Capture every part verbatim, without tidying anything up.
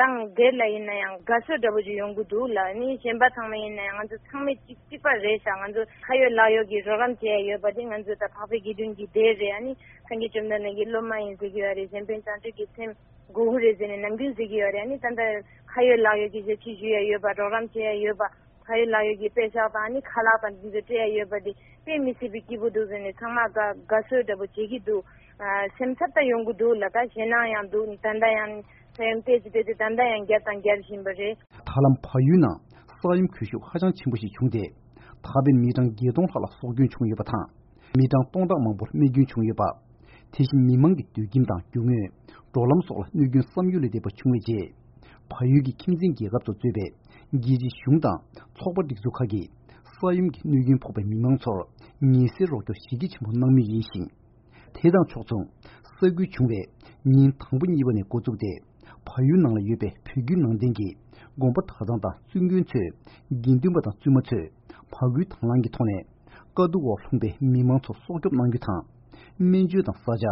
ཏང་སྒེར་ལ་ཡིན་ན་ཡང་དགའ་བསུ་འདྲ་པོ་ཅིག་ཡོང་གི་འདུག་ལ། ཨ་ནི་གཞན་པ་ཚང་མ་ཡིན་ན་ཡང་ང་ཚོ་ཚང་མས་གཅིག་གཅིག་པ་རེད་ཤག་ང་ཚོ་ཁ་ཡོད་ལག་ཡོད་ཀྱི་རོགས་རམ་བྱེད་ཡ་ཡོད་པ་དེ་ང་ཚོ་ད་འཕགས་པའི་དགེ་འདུན་གྱི་སྡེ་རེད། ཨ་ནི་སངས་རྒྱས་བཅོམ་ལྡན་འདས་ཀྱི་སློབ་མ་ཡིན་ཟེར་གྱི་ཡོད་རེད། གཞན་ཕན་བྱང་ཆུབ་ཀྱི་སེམས་དགོས་ཀྱི་རེད་ཟེར་ནས་ནམ་རྒྱུན་ཟེར་གྱི་ཡོད་རེད། ཨ་ནི་ད་ལྟ་ཁ་ཡོད་ལག་ཡོད་ཀྱི་ཞབས་ཕྱི་ཞུ་ཡ་ཡོད་པ། རོགས་རམ་བྱེད་ཡ་ཡོད་པ། ཁ་ཡོད་ལག་ཡོད་ཀྱི་དཔེ་ཤག་དང་ཨ་ནི་ཁ་ལག་དང་འདི་ཚོ་སྤྲད་ཡ་ཡོད་པ་དེ་དཔེ་མི་སྲིད་པའི་སྐྱིད་པོ་འདུག་ཟེར་ནས་ཚང་མ་དགའ་དགའ་བསུ་འདྲ་པོ་བྱེད་ཀྱི་འདུག་ཨ། སེམས་འཚབ་ད་ཡོང་གི་འདུག་ལ། ད་ཞེད་སྣང་ཡང་འདུག་ད་ལྟ་ཡང་ས་ཡོམ་བལྟས་ཙི་བལྟས་ཙི་ད་ལྟ་ཡང་བརྒྱབ་དང་རྒྱག་བཞིན་པ་རེད། ད་ལམ་བལ་ཡུལ་ནང་ས་ཡོམ་གྱོང་ཤུགས་ཧ་ཅང་ཆེན་པོ་ཞིག་བྱུང་སྟེ། ད་བར་མི་གྲངས་བརྒྱད་སྟོང་ལྷག་ལ་སྲོག་སྐྱོན་བྱུང་ཡོད་པ་དང་། མི་གྲངས་སྟོང་ཕྲག་མང་པོར་རྨས་སྐྱོན་བྱུང་ཡོད་པ། དེ་བཞིན་མི་མང་གི་སྡོད་ཁྱིམ་དང་རྒྱུ་དངོས། འགྲོ་ལམ་སོགས་ལ་གནོད་སྐྱོན་བསམ་ཡུལ་ལས་འདས་པ་བྱུང་བའི་རྗེས། བལ་ཡུལ་གྱི་ཁྱིམ་མཚེས་རྒྱལ་ཁབ་ཚོ་གཙོས་པའི་རྒྱལ་སྤྱིའི་གཞུང་དང་ཚོགས་པ་སྒྲིག་འཛུགས་ཁག་གིས་ས་ཡོམ་གྱི་གནོད་སྐྱོན་ཕོག་པའི་མི་མང་ཚོར་ངལ་སེལ་རོགས་སྐྱོར་གཞི་རྒྱ་ཆེན་པོ་གནང་མུས་ཡིན་ཞིང་། དེ་དང་ཕྱོགས་མཚུངས། ས་འགུལ་བྱུང་བའི་ཉིན་དང་པོ་གཉིས་པ་ནས་འགོ་བཙུགས་ཏེ། བལ་ཡུལ་ནང་ལ་ཡོད་པའི་བོད་བརྒྱུད་ནང་བསྟན་གྱི་དགོན་པ་གྲྭ་ཚང་དང་བཙུན་དགོན་ཚོས་དགེ་འདུན་པ་དང་བཙུན་མ་ཚོས་ཕ་གུའི་དང་བླངས་ཀྱི་ཐོག་ནས། དཀའ་སྡུག་འོག་ལྷུང་པའི་མི་མང་ཚོར་སྲོག་སྐྱོབ་གནང་རྒྱུ་དང་། སྨན་བཅོས་དང་ས་ཆ།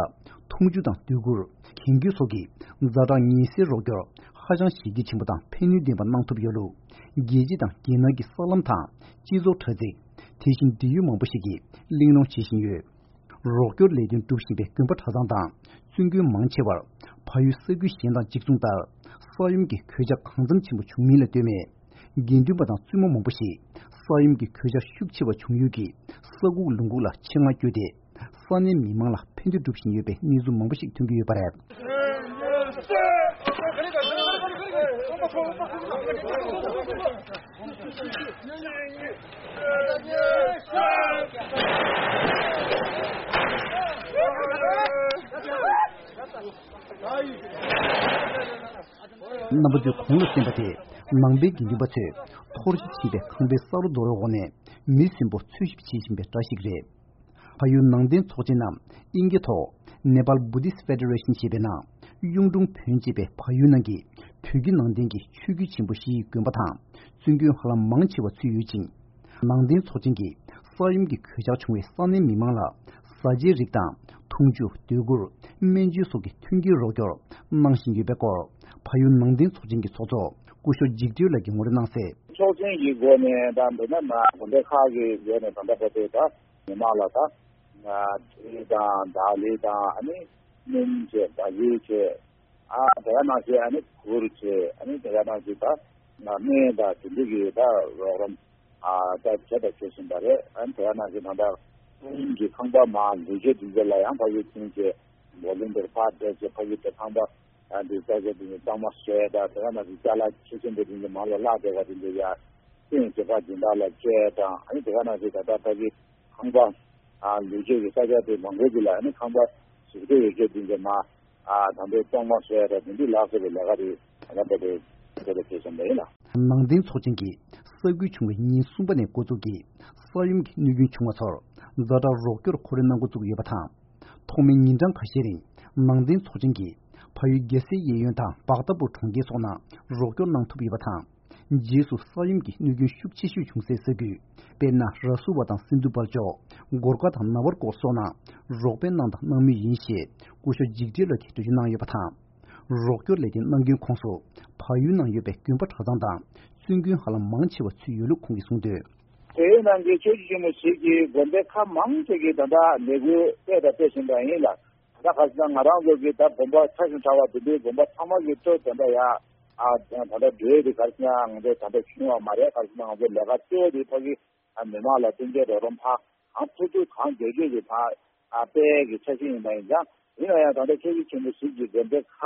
འཐུང་ཆུ་དང་སྡོད་གུར། གྱོན་གོས་སོགས་ཀྱི་ཛ་དྲག་ངལ་སེལ་རོགས་སྐྱོར་ཧ་ཅང་གཞི་རྒྱ་ཆེན་པོ་དང་ཕན་ནུས་ལྡན་པ་གནང་ཐུབ་ཡོད་ལུགས། རྒྱལ་སྤྱི་དང་རྒྱལ་ནང་གི་གསར་ལམ་དང་སྤྱི་ཚོགས་དྲ་ཚིགས། དེ་བཞིན་འབྲེལ་ཡོད་མང་པོ་ཞིག་གིས་གླེང་སློང་བྱེད་བཞིན་ཡོད། རོགས་སྐྱོར་ལས་དོན་སྒྲུབ་བཞིན་པའི་དགོན་པ་གྲྭ་ཚང་དང་བཙུན་དགོན་མང་ཆེ་བར་བལ་ཡུལ་ས་ཁུལ་གཞན་དང་གཅིག་མཚུངས་ལྟར་ས་ཡོམ་གྱི་གོད་ཆག་གང་འཚམ་ཆེན་པོ་བྱུང་མིན་ལ་ལྟོས་མེད། དགེ་འདུན་པ་དང་བཙུན་མ་མང་པོ་ཞིག་ས་ཡོམ་གྱི་གོད་ཆག་ཤུགས་ཆེ་བ་བྱུང་ཡུལ་གྱི་ས་ཁུག་ལུང་ཁུག་ལ་ཆེད་མངགས་བསྐྱོད་དེ། ས་གནས་མི་མང་ལ་ཕན་བདེ་སྒྲུབ་བཞིན་ཡོད་པའི་གནས་ཚུལ་མང་པོ་ཞིག་ཐོན་གྱི་ཡོད་པ་རེད། རྣམ་པ་ཚོས་གོང་ལ་གསན་པ་དེ། ནང་པའི་དགེ་འདུན་པ་ཚོས་འཐོར་ཞིག་ཕྱིན་པའི་ཁང་པའི་ས་རོ་རྡོ་རོའི་འོག་ནས་མི་གསོན་པོ་འཚོལ་ཞིབ་བྱེད་བཞིན་པའི་སྒྲ་ཞིག་རེད། བལ་ཡུལ་ནང་བསྟན་ཚོགས་ཆེན་ནམ་དབྱིན་སྐད་ཐོག་Nepal Buddhist Federation ཞེས་པའི་ནང་གཡུང་དྲུང་བོན་ཅེས་པའི་བལ་ཡུལ་ནང་གི་བོད་ཀྱི་ནང་བསྟན་གྱི་ཆོས་བརྒྱུད་ཆེན་པོ་བཞིའི་དགོན་པ་དང་བཙུན་དགོན་ཧ་ལམ་མང་ཆེ་བ་ཚུད་ཡོད་ཅིང་། ནང་བསྟན་ཚོགས་ཆེན་གྱིས་ས་ཡོམ་གྱི་གོད་ཆག་བྱུང་བའི་ས་གནས་མི་མང་ལ་བཟའ་བཅའི་རིགས་དང་འཐུང་ཆུ་སྡོད་གུར་སྨན་བཅོས་སོགས་ཀྱི་མཐུན་རྐྱེན་རོགས་སྐྱོར་གནང་བཞིན་ཡོད་པའི་སྐོར་བལ་ཡུལ་ནང་བསྟན་ཚོགས་ཆེན་གྱི་ཚོགས་གཙོ་སྐུ་ཞབས་འཇིགས་བྲལ་ལགས་ཀྱིས་ངོ་སྤྲོད་གནང་གསལ། ཚོགས་ཆེན་གྱི་སྒོ་ནས་དང་མདོར་ན་མ་དགོན་སྡེ་ཁག་གི་སྒོ་ནས་ད་ལྟ་བར་དུ་ད་མི་མང་ལ་ད་ང་གྲི་དང་དར་ལི་དང་ཨ་ནི་སྣུམ་བཅས་བ་ཡུག་བཅས་ཨ་དེ་ག་ནང་བཞིན་ཨ་ནི་གུར་བཅས་ཨ་ནི་དེ་ག་ནང་བཞིན་ད་སྨན་དང་དེ་འདྲ་གི་ད་རོགས་རམ་ཨ་ད་བྱས་དང་བྱེད་བཞིན་པ་རེད། ཨ་ནི་དེ་ག་ནང་བཞིན་ད་ལྟ་ཀུན་གྱི་ཁང་པ་མ་ལུས་རྗེས་དེ་ཚོ་ལ་ཡང་ཕ་གི་ཚུན་ཆད་འབོ་ལུང་དེར་ཕར་བསྡད་བྱས་ཕ་གི་དེ་ཁང་པ་ཨ་འདི་ས་ཆ་དེ་ནི་གཙང་མ་བཟོ་ཡ་དང་དེ་ག་ནང་བཞིན་ཅ་ལག་ཆེ་ཆེན་པོ་དེ་ཚོ་མང་ལ་བརླག་བསྡད་པ་དེ་ཚོ་ཡ་སྟོན་བྱེད་པ་སྦྱིན་བདག་ལ་སྤྲད་དང་ཨ་ནི་དེ་ག་ནང་བཞིན་ད་ལྟ་ཕ་གི་ཁང་པ་ཨ་ལུས་རྗེས་ཀྱི་ས་ཆ་དེ་མང་པོ་དེ་ལ་ཨ་ནི་ཁང་པ་ཟུར་བཀོད་ཡོད་ཚད་དེ་ཚོ་མ་ཨ་ད་ལྟའི་གཙང་མ་བཟོ་ཡ་དང་དེ་འདྲའི་ལག་བཟོ་བའི་ལས་ཀ་དེ་ད་ལྟ་བར་དུ་བྱེད་དང་བྱེད་བཞིན་པ་ཡིན་ལ། ནང་བསྟན་ཚོགས་ཆེན་གྱིས་ས་འགུལ་བྱུང་བའི་ཉིན་གསུམ་པ་ནས་འགོ་འཛུགས་ཀྱིས་ས་ཡོམ་གྱི་གནོད་སྐྱོན་བྱུང་བ་ཚོར་ཛ་དྲག་རོགས་སྐྱོར་ཁོར་ཡུག་གནང་འགོ་བཙུགས་ཡོད་པ་དང་། ཐོག་མའི་ཉིན་གྲངས་ཁ་ཤས་རིང་ནང་བསྟན་ཚོགས་ཆེན་གྱིས་ཕ་ཡུལ་རྒྱལ་སའི་གཡས་གཡོན་དང་བག་ཏ་པུར་གྲོང་ཁྱེར་སོགས་ནང་རོགས་སྐྱོར་གནང་ཐུབ་ཡོད་པ་དང་། རྗེས་སུ་ས་ཡོམ་གྱི་གནོད་སྐྱོན་ཤུགས་ཆེ་ཤོས་བྱུང་སའི་ས་ཁུལ། དཔེར་ན་ར་སུ་བ་དང་སིན་དྷུ་བལ་ཅོག་གོར་ཁ་དང་ན་བར་ཀོར་སོགས་ནང་རོགས་ཕན་གནང་དང་གནང་མུས་ཡིན་ཞེས་སྐུ་ཞབས་འཇིགས་བྲལ་ལགས་ཀྱིས་འགྲེལ་བརྗོད་གནང་ཡོད་པ་དང་། རོགས་སྐྱོར་ལས་དོན་གནང་མཁན་ཁོངས་སུ་བལ་ཡུལ་ནང་ཡོད་པའི་དགོན་པ་གྲྭ་ཚང་དང་བཙུན་དགོན་ཧ་ལམ་མང་ཆེ་བ་ཚུད་ཡོད་ལུགས་ཁོང་གིས་གསུངས་དོན། བལ་ཡུལ་ནང་གི་ཆོས་བརྒྱུད་ཆེན་མོ་ཞིག་གི་དགོན་སྡེ་ཁག་མང་ཆེ་གིས་ད་ལྟ་ལས་འགུལ་སྤེལ་དང་སྤེལ་བཞིན་པ་ཡིན་ལ། ད་ག་ཟེར་ན་ང་རང་ཚོ་གི་ད་དགོན་པ་ཆ་ཞིང་ཕྲ་བ་དེ་འདྲའི་དགོན་པ་ཚང་མ་གི་ཁྲོད་དེ་འདྲ་ཡ་ཨ་ད་ལྟ་འགྲོ་ཡ་དེ་ག་ཟེར་ན་ང་ཚོ་ད་ལྟ་བྱུང་བ་མ་རེད། ག་ཟེར་ན་ང་ཚོ་ལས་ཀ་གཙོ་བོ་དེ་ཕ་གི་ཨ་མི་མང་ལ་མཐུན་རྐྱེན་རོགས་རམ་ཕ་གང་ཐུབ་ཐུབ་གང་མགྱོགས་མགྱོགས་ཀྱི་ཕ་ཨ་སྤེལ་གི་ཆ་ཤས་ཡིན་པ་ཡིན་ཙང་། ཡིན་ན་ཡང་ད་ལྟ་ཆོས་བརྒྱུད་ཆེན་པོ་ཞིག་གི་དགོན་སྡེ་ཁག་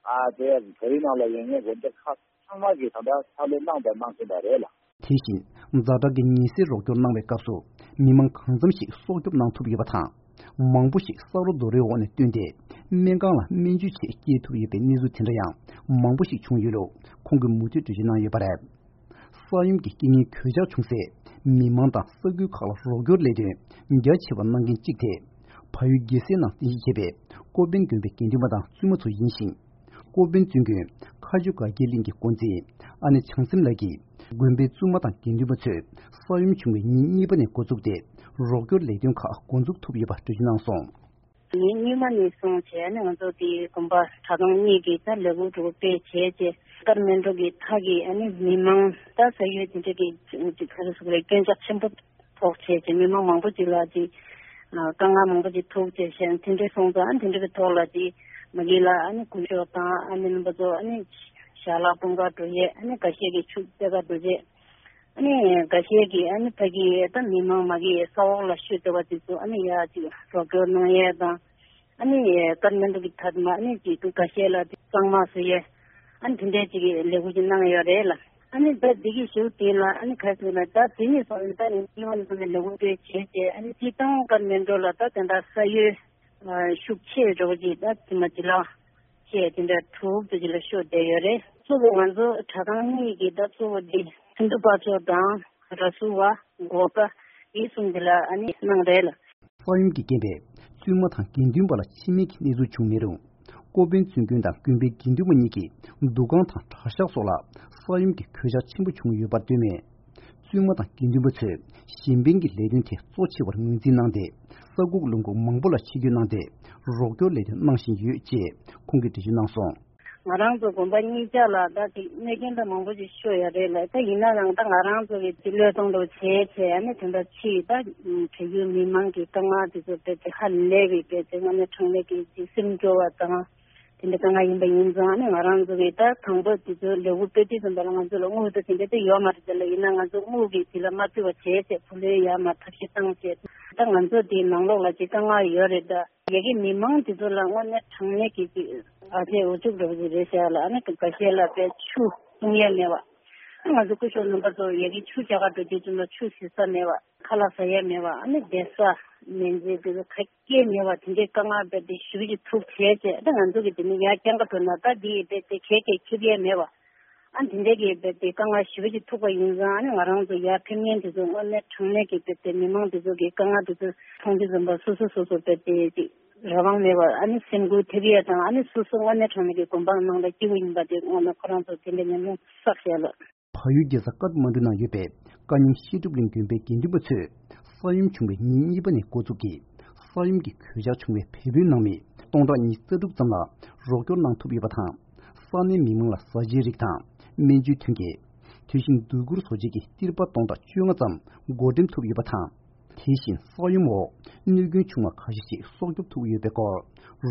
ཨ་དེ་བལ་ཡུལ་ནང་ལ་ཡོད་མཁན་དགོན་སྡེ་ཁག་ཚང་མ་གིས་ད་ལྟ་ཕྱག་ལས་གནང་དང་གནང་བཞིན་པ་རེད་ལ། དེ་བཞིན་ཛ་དྲག་གི་ཉེན་སེལ་རོགས་སྐྱོར་གནང་བའི་སྐབས་སུ་མི་མང་གང་འཚམ་ཞིག་སྲོག་སྐྱོབ་གནང་ཐུབ་ཡོད་པ་དང་། མང་པོ་ཞིག་ས་རོ་རྡོ་རོའི་འོག་ནས་བཏོན་ཏེ་སྨན་ཁང་ལ་སྨན་བཅོས་ཆེད་སྐྱེལ་ཐུབ་ཡོད་པའི་གནས་ཚུལ་དེ་འདྲ་ཡང་མང་པོ་ཞིག་བྱུང་ཡོད་ལུགས་ཁོང་གིས་མུ་མཐུད་འགྲེལ་བརྗོད་གནང་ཡོད་པ་རེད། ས་ཡོམ་གྱི་རྐྱེན་ངན་གོད་ཆག་བྱུང་སའི་མི་མང་དང་ས་ཁུལ་ཁག་ལ་རོགས་སྐྱོར་ལས་དོན་རྒྱ་ཆེ་བ་གནང་མཁན་གཅིག་དེ། བལ་ཡུལ་རྒྱལ་སའི་ནང་རྟེན་གཞི་བྱས་པའི་ཀོ་པན་དགོན་པའི་དགེ་འདུན་པ་དང་བཙུན་མ་ཚོ་ཡིན་ཞིང་། ཀོ་པན་བཙུན་དགོན་མཁའ་སྤྱོད་དགའ་སྐྱིད་གླིང་གི་འགོ་འཛིན་ཨ་ནེ་བྱང་སེམས་ལགས་ཀྱིས་དགོན་པའི་བཙུན་མ་དང་དགེ་འདུན་པ་ཚོས་ས་ཡོམ་བྱུང་བའི་ཉིན་གཉིས་པ་ནས་འགོ་བཙུགས་ཏེ་རོགས་སྐྱོར་ལས་དོན་ཁག་འགོ་འཛུགས་ཐུབ་ཡོད་པ་འགྲེལ་བརྗོད་གནང་སོང་། ཉིན་གཉིས་མ་ནས་བཟུང་བྱས་ནས་ང་ཚོ་དེ་དགོན་པ་གྲྭ་ཚང་གཉིས་ཀྱི་ད་ལས་འགུལ་འགྲོ་སྤེལ་བྱས་རྗེས་ཀར་མེན་ཌོ་གི་མཐའ་གི་ཨ་ནི་མི་མང་ད་ས་ཡུལ་དེ་འདྲ་གི་ག་རེ་ཟེར་དགོས་རེད། སྐྱོན་ཆ་ཆེན་པོ་ཕོག་བྱས་ཀྱི་མི་མང་མང་པོ་ཅིག་ལ་ཅིག་དཀའ་ངལ་མང་པོ་ཅིག་ཐུག་བྱས་ཤིང་དེ་འདྲའི་སོང་ཙང་དེ་འདྲ་གི་ཐོག་ལ་ཅིག་མ་གི་ལ་ཨ་ནི་སྐུ་ཞབས་དང་ཨ་ནི་རྣམ་པ་ཚོ་ཨ་ནི་ཞལ་ལག་སྤུངས་ག་འགྲོ་ཡས་ཨ་ནི་འགའ་ཤས་ཀྱི་ཆུ་རྩེད་ག་འགྲོ་རྗེས་ཨ་ནི་འགའ་ཤས་ཀྱི་ཨ་ནི་ཕ་གི་ད་མི་མང་མ་གི་ས་འོག་ལ་ཤོད་བསྡད་པ་དེ་ཚོ་ཨ་ནི་ཡ་ཅིག་རོགས་སྐྱོར་གནང་ཡས་དང་། ཨ་ནི་ཀར་མན་ཌུ་གི་ཐད་མ་ཨ་ནི་ཅིག་ཏུ་ཁ་ཤས་ལ་གཙང་མ་བཟོ་ཡས་ཨ་ནི་དེ་འདྲའི་ཅིག་ལས་འགུལ་ཅིག་གནང་ཡོད་རེད་ལ། ཨ་ནི་ད་འདི་གི་ཞུ་དེ་ལ་ཨ་ནི་ཁ་སང་ལ་ད་དེ་ནས་བཟུང་ནས་ད་ནི་ཉི་མ་ནས་བཟུང་ནས་ལས་འགུལ་སྤེལ་བྱས་ཏེ་ཨ་ནི་སྤྱིར་བཏང་ཀར་མན་ཌུ་ལ་ད་དེ་འདྲ་ས་ཡོད་ཤུགས་ཆེ་འགྲོ་གི་ད་དེ་མ་ཅི་ལ་ཆེ་དེ་འདྲ་དྲུག་ཏུ་ཅི་ལ་ཤོད་བསྡད་ཡོད་རེད། གཙོ་བོ་ང་ཚོ་གྲྭ་ཚང་གཉིས་ཀྱི་ད་གཙོ་བོ་འདི་ཚུན་དུ་པ་ཚོ་དང་ར་སུ་བ་གོ་ཀ་འདི་གསུམ་འདི་ལ་ཨ་ནི་གནང་རེད་ལ། ས་ཡོམ་གྱི་རྐྱེན་པས་བཙུན་མ་དང་དགེ་འདུན་པ་ལ་འཆི་རྨས་ཀྱི་གནས་ཚུལ་བྱུང་མེད་རུང་། ཀོ་པན་བཙུན་དགོན་དང་དགོན་པའི་དགེ་འདུན་པ་གཉིས་ཀྱི་འདུ་ཁང་དང་གྲྭ་ཤག་སོགས་ལ་ས་ཡོམ་གྱི་གོད་ཆག་ཆེན་པོ་བྱུང་ཡོད་པར་འདོད་མེད། བཙུན་མ་དང་དགེ་འདུན་པ་ཚོས་གཞན་ཕན་གྱི་ལས་དོན་དེ་གཙོ་ཆེ་བར་ངོས་འཛིན་གནང་སྟེ། ས་ཁུག་ལུང་ཁུག་མང་པོ་ལ་ཆིབས་བསྒྱུར་གནང་སྟེ་རོགས་སྐྱོར་ལས་དོན་གནང་བཞིན་ཡོད་ཅེས་ཁོང་གིས་འགྲེལ་བརྗོད་གནང་སོང་། ང་རང་ཚོ་དགོན་པ་གཉིས་ཆ་ལ་ད་ཅིག་གནོད་སྐྱོན་ད་མང་པོ་ཅིག་ཤོར་ཡོད་རེད་ལ། ད་ཡིན་ན་ཡང་ད་ང་རང་ཚོ་གི་ཅིག་བློས་གཏོང་འདྲ་བྱས་བྱས་ཨ་ནི་དེ་འདྲ་ཕྱིའི་ད་བལ་ཡུལ་མི་མང་གི་དཀའ་ངལ་དེ་ཚོ་དཔེ་དེ་ཧ་ལས་པའི་དཔེ་དེ་དངོས་གནས་དྲང་གནས་ཀྱི་ཅིག་སེམས་སྐྱོ་བ་དང་དེ་འདྲ་དཀའ་ངལ་ཡིན་པ་ཡིན་ཙང་ཨ་ནི་ང་རང་ཚོ་གི་ད་དང་པོ་དེ་ཚོ་ལས་འགུལ་སྤེལ་དུས་ཙམ་པ་ལ་ང་ཚོ་ལ་དངུལ་ད་དེ་འདྲ་དེ་ཡོད་མ་རེད་དེ་ལ། ཡིན་ན་ང་ཚོ་དངུལ་གི་དེ་ལ་མ་ཕུལ་བ་བྱས་བྱས་བུ་ལོན་ཡར་མར་ཐབས་ཤེས་བཏང་བྱས་ད་ང་ཚོ་དེ་ནང་ལོགས་ལ་ཅིག་དཀའ་ངལ་ཡོད་རེད་ད། ཡ་གི་མི་མང་དེ་ཚོ་ལ་དངོས་གནས་དྲང་གནས་ཀྱི་ཅིག་ཨ་ཅེ་འུ་ཚུགས་འདྲ་བོ་ཅིག་རེད་ཤག་ལ། ཨ་ནི་འགའ་ཤས་ལ་དཔེ་ཆུ་འཐུང་ཡས་མེད་པ། ཨ་ང་ཚོ་སྐུ་ཞབས་རྣམ་པ་ཚོ་ཡ་གི་ཆུ་རྒྱག་ག་འགྲོ་དུས་ཙམ་ལ་ཆུ་བཟི་ས་མེད་པ། ཁ་ལག་ཟ་ཡས་མེད་པ། ཨ་ནི་བསྡད་ས་མེད་ཟེར་དེ་ཚོ་ག་གེ་མེད་པ། དེ་འདྲའི་དཀའ་ངལ་དཔེ་དེ་ཞེ་པོ་ཅིག་ཐུག་བྱས་བྱས་ཨ་ནི་ང་ཚོ་གི་དེ་ནི་ཡར་རྐྱང་ག་འགྲོ་ན་ད་དེ་ཡི་དཔེ་དེ་གས་གས་ཁྱབ་ཡས་མེད་པ། ཨ་འདི་འདྲའི་གི་དཔེ་དེ་དཀའ་ངལ་ཞེ་པོ་ཅིག་ཐུག་པ་ཡིན་ཙང་ཨ་ནི་ང་རང་ཚོ་ཡར་ཕེབས་མཁན་དེ་ཚོ་དངོས་གནས་དྲང་གནས་ཀྱི་དཔེ་དེ་མི་མང་དེ་ཚོ་གི་དཀའ་ངལ་དེ་ཚོ་མཐོང་དུས་ཙམ་པ་སོ་སོ་སོ་སོ་དཔེ་དེ་ཅིག་རང་དབང་མེད་པར་ཨ་ནི་སེམས་འགུལ་ཐེབས་ཡས་དང་ཨ་ནི་སོ་སོ་དངོས་གནས་དྲང་གནས་ཀྱི་དགོན་པ་ནང་ལ་སྐྱིད་པོ་ཡིན་པ་དེ་དངོས་གནས་ཁོ་རང་ཚོ་དེ་འདྲའི་ཉམས་མྱོང་བསགས་བཞག་ལ། བལ་ཡུལ་རྒྱལ་ས་ཀཏ་མན་ཌུ་ནང་ཡོད་པའི་ཀ་ཉུང་ཤེས་སྒྲུབ་གླིང་དགོན་པའི་དགེ་འདུན་པ་ཚོས་ས་ཡོམ་བྱུང་བའི་ཉིན་གཉིས་པ་ནས་འགོ་འཛུགས་ཀྱིས་ས་ཡོམ་གྱི་གོད་ཆག་བྱུང་བའི་བལ་པོའི་ནང་མི་སྟོང་ཕྲག་ཉི་ཤུ་རྩ་དྲུག་ཙམ་ལ་རོགས་སྐྱོར་གནང་ཐུབ་ཡོད་པ་དང་། ས་གནས་མི་མང་ལ་བཟའ་བཅའི་རིགས་དང་སྨན་བཅོས་ཐོན་སྐྱེད། དུས་ཤིང་སྡོད་གུར་བཟོ་བྱེད་ཀྱི་ཏིར་པ་སྟོང་ཕྲག་བཅོ་ལྔ་ཙམ་བགོ་འགྲེམས་ཐུབ་ཡོད་པ་དང་། དེ་བཞིན་ས་ཡོམ་འོག་གནོད་སྐྱོན་བྱུང་བ་ཁ་ཤས་ཤིག་སྲོག་སྐྱོབ་ཐུབ་ཡོད་པའི་སྐོར།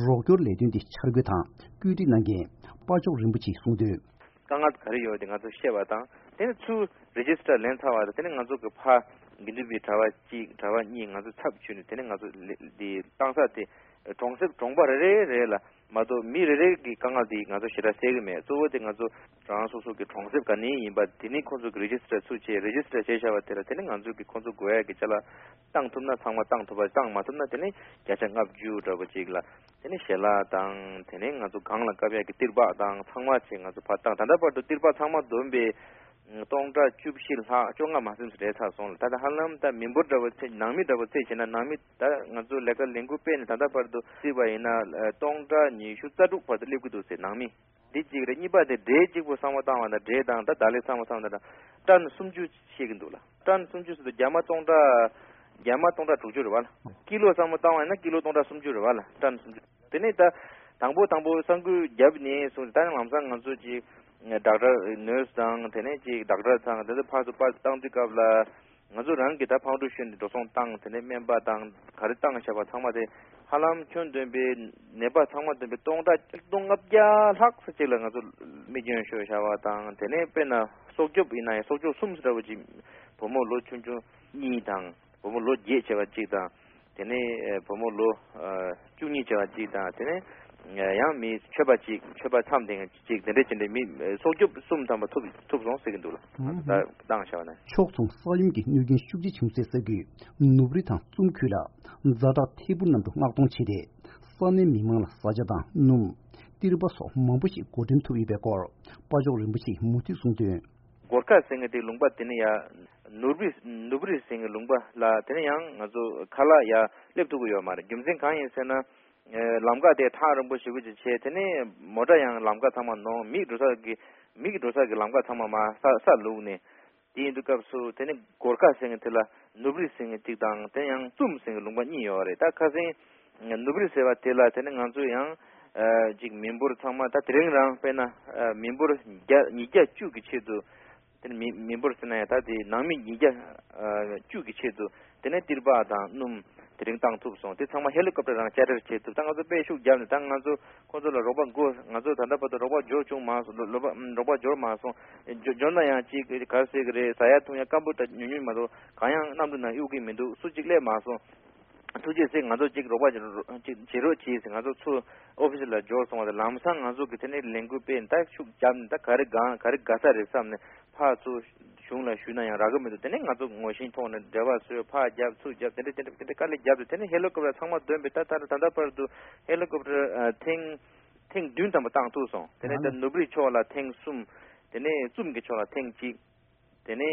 རོགས་སྐྱོར་ལས་དོན་འདི་འཆར་འགོད་དང་བཀོད་སྒྲིག་གནང་མཁན་དཔའ་མཆོག་རིན་པོ་ཆེས་གསུངས་དོན། དཀའ་ངལ་ག་རེ་ཡོད་དེ་ང་ཚོ་ཤེས་པ་དང་། དེ་ནས་ཚུར་རི་ཇི་སི་ཊར་ལེན་ཚར་བ་དང་། དེ་ནས་ང་ཚོ་གི་ཕ་དགེ་འདུན་པའི་གྲྭ་པ་གཅིག་གྲྭ་པ་གཉིས་ང་ཚོ་ཚབ་བྱས་ནས་དེ་ནས་ང་ཚོ་ལེ་འདི་བཏང་ས་དེ་གྲོང་གསེབ་གྲོང་པ་རེ་རེ་རེ་ལ་མ་གཏོགས་མི་རེ་རེ་གི་དཀའ་ངལ་དེ་ང་ཚོ་ཞེ་དྲག་སེལ་གི་མེད། གཙོ་བོ་དེ་ང་ཚོ་རང་སོ་སོ་གི་གྲོང་གསེབ་ག་ནས་ཡིན་པ་དེ་ནས་ཁོང་ཚོ་གི་རི་ཇི་སི་ཊར་ཚུར་བྱས། རི་ཇི་སི་ཊར་བྱས་བཞག་པ་དེ་ལ་དེ་ནས་ང་ཚོ་གི་ཁོང་ཚོ་དགོས་ཡ་གི་ཅ་ལག་བཏང་ཐུབ་ན་ཚང་མ་བཏང་ཐུབ་པ། བཏང་མ་ཐུབ་ན་དེ་ནས་བརྒྱ་ཆ་ལྔ་བཅུ་འདྲ་པོ་ཅིག་ལ། དེ་ནས་ཞལ་ལག་དང་། དེ་ནས་ང་ཚོ་གངས་ལ་བཀབ་ཡག་གི་ཏིར་པགས་དང་ཚང་མ་བྱས་ང་ཚོ་ཕར་བཏང་། ད་ལྟ་བར་དུ་ཏིར་པགས་ཚང་མ་བསྡོམས་པས་སྟོང་ཕྲག་བཅུ་བཞི་ལྷག་བཅོ་ལྔ་མ་ཟིན་ཙམ་རེད་ཚར་སོང་ལ། ད་ལྟ་ཧ་ལམ་ད་མི་འབོར་འདྲ་པོ་ཚད། ནང་མི་འདྲ་པོ་ཚད་བྱས་ན་ནང་མི་ད་ང་ཚོ་ལས་ཀ་ལས་འགུལ་སྤེལ་ནས་ད་ལྟ་བར་དུ་བརྩིས་པ་ཡིན་ན་སྟོང་ཕྲག་ཉི་ཤུ་རྩ་དྲུག་བར་དུ་སླེབས་ཀྱི་འདུག་ཟེར། ནང་མི་འདི་གཅིག་རེད། གཉིས་པ་དེ་འབྲས་གཅིག་པོ་ཚང་མ་བཏང་བ་ན། འབྲས་དང་ད་ད་ལེ་ཚང་མ་བཏང་བ་ན་ཊན་སུམ་ཅུ་ཤེས་ཀྱི་འདུག་ལ། ཊན་སུམ་ཅུ་ཟེར་དུས་རྒྱ་མ་སྟོང་ཕྲག་རྒྱ་མ་སྟོང་ཕྲག་དྲུག་ཅུ་རེད་བ་ལ། ཀི་ལོ་ཚང་མ་བཏང་བ་ཡིན་ན་ཀི་ལོ་སྟོང་ཕྲག་སུམ་ཅུ་རེད་བ་ལ། ཊན་སུམ་ཅུ། དེ་ནས་ད་དང་པོ་དང་པོ་ས་འགུལ་བརྒྱབ་ནས་བཟུང་སྟེ་ད་ནི་ལམ་སང་ང་ཚོ་ཅིག་ཌོག་ཊར་ནར་སི་དང་། དེ་ནས་ཅིག་ཌོག་ཊར་ཚང་དེ་ཚོ་ཕར་ཚུར་པར་བཏང་དུས་སྐབས་ལ་ང་ཚོ་རང་གིས་ད་ཕར་འགྲོ་ཞོར་ནས་འགྲོ་སོང་བཏང་། དེ་ནས་སྨན་པ་དང་ག་རེ་བཏང་བྱས་པ་ཚང་མ་དེ་ཧ་ལམ་ཁྱོན་བསྡོམས་པའི་ནད་པ་ཚང་མ་བསྡོམས་པའི་སྟོང་ཕྲག་ཆིག་སྟོང་ལྔ་བརྒྱ་ལྷག་ཙམ་ཅིག་ལ་ང་ཚོ་རྨས་སྐྱོན་ཤོར་བྱས་པ་དང་། དེ་ནས་དཔེར་ན་སྲོག་སྐྱོབ་ཡིན་ན་ཡང་སྲོག་སྐྱོབ་གསུམ་ཙམ་འདྲ་པོ་ཅིག་བུ་མོ་ལོ་ཆུང་ཆུང་གཉིས་དང་། བུ་མོ་ལོ་བརྒྱད་བྱས་པ་གཅིག་དང་། དེ་ནས་ཨ་བུ་མོ་ལོ་ཨ་བཅུ་གཉིས་བྱས་པ་གཅིག་དང་། དེ་ནས་ཨ་ཡང་མི་ཆོས་པ་གཅིག་ཆོས་པ་མཚམས་སྡོད་མཁན་གཅིག་དེ་འདྲ་བྱས་ནས་མི་ཨ་སྲོག་སྐྱོབ་གསུམ་ཐམ་པ་ཐུབ་ཐུབ་སོང་ཟེར་གྱི་འདུག་ལ། ཨང་། ད་བཏང་བྱས་པ་ན། ཕྱོགས་མཚུངས་ས་ཡོམ་གྱི་གནོད་སྐྱོན་ཤུགས་ཆེ་བྱུང་སའི་ས་ཁུལ་ནུབ་རི་དང་ཙུམ་ཁུལ་ལ་ཛ་དྲག་ཐད་འཕུར་གནམ་གྲུ་མངགས་གཏོང་བྱས་ཏེ། ས་གནས་མི་མང་ལ་བཟའ་བཅའ་དང་སྣུམ། ཏིར་པ་སོགས་མང་པོ་ཞིག་བགོ་འགྲེམས་ཐུབ་ཡོད་པའི་སྐོར་དཔའ་མཆོག་རིན་པོ་ཆེས་མུ་མཐུད་གསུངས་དོན། གོར་ཁ་ཟེར་མཁན་དེ་ལུང་པ་དེ་ནི་ཡ་ནུབ་རི་ནུབ་རི་ཟེར་མཁན་ལུང་པ་ལ་དེ་ནི་ཡང་ང་ཚོ་ཁ་ལག་ཡ་སླེབས་ཐུབ་ཀྱི་ཡོད་མ་རེད། རྒྱུ་མཚན་གང་ཡིན་ཟེར་ན། ཨེ་ལམ་ཁ་དེ་ཐག་རིང་པོ་ཞེ་པོ་ཅིག་བྱས། དེ་ནས་མོ་ཊ་ཡང་ལམ་ཁ་ཚང་མ་ནོར། མིག་འགྲོ་ས་གི་མིག་འགྲོ་ས་གི་ལམ་ཁ་ཚང་མ་མར་ས་ས་བླུགས་ནས། དེ་ཡིན་དུས་སྐབས་སུ་དེ་ནི་གོར་ཁ་ཟེར་མཁན་དེ་ལ་ནུབ་རི་ཟེར་མཁན་གཅིག་དང་། དེ་ཡང་ཙུམ་ཟེར་མཁན་ལུང་པ་གཉིས་ཡོད་རེད། ད་ཁ་སང་ ནུབ་རི་ཟེར་བ་དེ་ལ་དེ་ནི་ང་ཚོ་ཡང་ཅིག་མི་འབོར་ཚང་མ་ད་དེ་རིང་རང་དཔེར་ན་མི་འབོར་བརྒྱ་ཉིས་བརྒྱ་བཅུ་གི་ཆེད་དུ། དེ་ནི་མི་མི་འབོར་ཟེར་ན་ཡང་ད་དེ་ནང་མི་ཉིས་བརྒྱ་བཅུ་གི་ཆེད་དུ་དེ་ནས་ཏིར་པ་དང་སྣུམ་དེ་རིང་བཏང་ཐུབ་སོང་། དེ་ཚང་མ་ཧེ་ལི་ཀོབ་ཊར་རང་བཅར་འདྲི་བྱེད་ཐུབ། ད་ང་ཚོ་དཔེ་ཤུགས་བརྒྱབ་ནས་ད་ང་ཚོ་ཁོང་ཚོ་ལ་རོགས་པ་དགོས། ང་ཚོ་ད་ལྟ་བར་དུ་རོགས་པ་འབྱོར་བྱུང་མ་སོང་། ལོ་ལོ་པ་རོགས་པ་འབྱོར་མ་སོང་། འབྱོར་འབྱོར་ན་ཡང་ཅིག་ག་རེ་ཟེར་གི་རེད། ཟ་ཡ་འཐུང་ཡ་སྐམ་པོ་ད་ཉུང་ཉུང་མ་གཏོགས་གང་ཡང་གནམ་གྲུ་ནང་གཡུག་གི་མི་འདུག་སུ་གཅིག་སླེབས་མ་སོང་། ཐུགས་རྗེ་ཆེ། ང་ཚོ་གཅིག་རོགས་པ་གཅིག་བྱེད་རོགས་གྱིས་ཟེར་ང་ཚོ་ཚུར་ཨོ་ཕི་སི་ལ་འབྱོར་སོང་བ་དང་། ལམ་སང་ང་ཚོ་གི་དེ་ནས་ལས་འགུལ་སྤེལ་ད་ཤུགས་བརྒྱབ་ནས་ད་ག་རེ་གང་ག་རེ་དགའ་ས་རེད་བསམ་ནས་ཕར་ཚུར་གཞུང་ལ་ཞུས་ན་ཡང་རག་གི་མི་འདུག་དེ་ནས་ང་ཚོ་ངོ་ཤེས་ཐོག་ནས་འབྲེལ་བ་བཟོས། ཕར་བརྒྱབ་ཚུར་བརྒྱབ་དེ་འདྲ་དེ་འདྲ་དེ་འདྲ་དཀའ་ལས་བརྒྱབ་སྟེ། དེ་ནས་ཧེ་ལི་ཀོབ་ཊར་ཚང་མ་བཏོན་པས་ད་ད་ད་ལྟ་བར་དུ་ཧེ་ལི་ཀོབ་ཊར་ཨ་ཐེངས་ཐེངས་བདུན་ཙམ་པ་བཏང་ཐུབ་སོང་། དེ་ནས་ད་ནུབ་རི་ཕྱོགས་ལ་ཐེངས་གསུམ། དེ་ནས་ཙུམ་གྱི་ཕྱོགས་ལ་ཐེངས་གཅིག་དེ་ནས་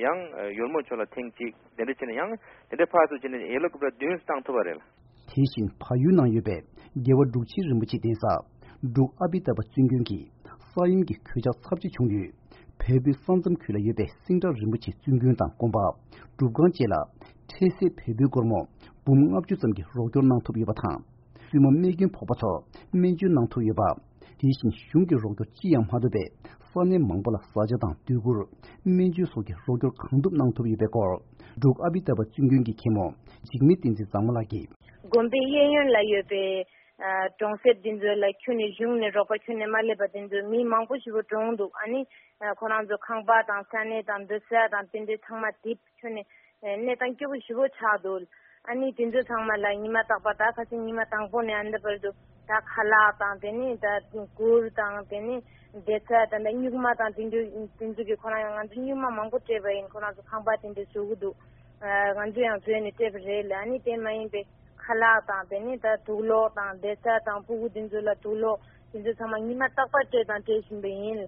ཡང་ཡོལ་མོ་ཕྱོགས་ལ་ཐེངས་གཅིག་དེ་འདྲ་བྱས་ནས་ཡང་དེ་འདྲ་ཕར་ཚུར་བྱས་ནས་ཧེ་ལི་ཀོབ་ཊར་བདུན་བཏང་ཐུབ་པ་རེད། དེ་བཞིན་བལ་ཡུལ་ནང་ཡོད་པའི་རྒྱལ་བ་འབྲུག་ཆེན་རིན་པོ་ཆེའི་གདན་ས་འབྲུག་ཨ་པི་ཏ་པ་བཙུན་དགོན་གྱི་ས་ཡོམ་གྱི་གོད་ཆག་ཚབས་ཆེ་བྱུང་ཡུལ་བལ་པོའི་ས་མཚམས་ཁུལ་ལ་ཡོད་པའི་སེང་བྲག་རིན་པོ་ཆེ་བཙུན་དགོན་དང་དགོན་པ། སྒྲུབ་ཁང་བཅས་ལ་འཕྲལ་སེལ་བལ་པོའི་སྒོར་མོ་འབུམ་ལྔ་བཅུ་ཙམ་གྱི་རོགས་སྐྱོར་གནང་ཐུབ་ཡོད་པ་དང་། བཙུན་མ་རྨས་སྐྱོན་ཕོག་པ་ཚོར་སྨན་བཅོས་གནང་ཐུབ་ཡོད་པ། དེ་བཞིན་གཞུང་གི་རོགས་སྐྱོར་ཅི་ཡང་མ་ཐོབ་པས། ས་གནས་མང་པོ་ལ་བཟའ་བཅའ་དང་སྡོད་གུར། སྨན་བཅོས་སོགས་ཀྱི་རོགས་སྐྱོར་གང་ཐུབ་གནང་ཐུབ་ཡོད་པའི་སྐོར། འབྲུག་ཨ་བི་ཏ་པ་བཙུན་དགོན་གྱི་མཁན་མོ་འཇིགས་མེད་བསྟན་འཛིན་བཟང་མོ་ལགས་ཀྱིས། དགོན་པའི་གཡས་གཡོན་ལ་ཡོད་པའི་ཨ་གྲོང་གསེབ་འདི་ཚོ་ལ་ཁྱོན་ནས་གཞུང་ནས་རོགས་པ་ཁྱོན་ནས་མ་སླེབས་པ་དེ་ཚོ་མི་མང་པོ་ཞེ་པོ་གྲོངས་འདུག་ཨ་ནི་ཨ་ཁོ་རང་ཚོ་ཁང་པ་དང་ས་གནས་དང་སྡོད་ས་དང་དེ་འདྲའི་ཚང་མ་དེབ་ཁྱོན་ནས་གནས་སྟངས་སྐྱོ་པོ་ཞེ་པོ་ཆགས་འདུག་ཨ་ནི་དེ་ཚོ་ཚང་མ་ལ་ཉི་མ་རྟག་པར་ད་ཁ་སང་ཉི་མ་དང་པོ་ནས་ཨ་འདི་བར་དུ་ད་ཁ་ལག་དང་དེ་ནས་ད་གུར་དང་དེ་ནས་བསྡད་ས་དང་ད་སྨྱུག་མ་དང་དེ་ཚོ་དེ་ཚོ་གི་ཁོ་རང་ཡང་ང་ཚོ་སྨྱུག་མ་མང་པོ་སྤྲད་པ་ཡིན། ཁོ་རང་ཚོ་ཁང་པ་དེ་འདྲ་བཟོ་གི་འདུག་ང་ཚོ་ཡང་བཟོས་ནས་སྤྲད་པ་རེད་ལ། ཨ་ནི་དེ་མ་ཡིན་པའི་ཁ་ལག་དང་དེ་ནས་ད་དུག་ལོག་དང་བསྡད་ས་དང་ཕྲུ་གུ་དེ་ཚོ་ལ་དུག་ལོག་དེ་ཚོ་ཚང་མ་ཉི་མ་རྟག་པར་སྤྲད་དང་སྤྲད་བཞིན་པ་ཡིན།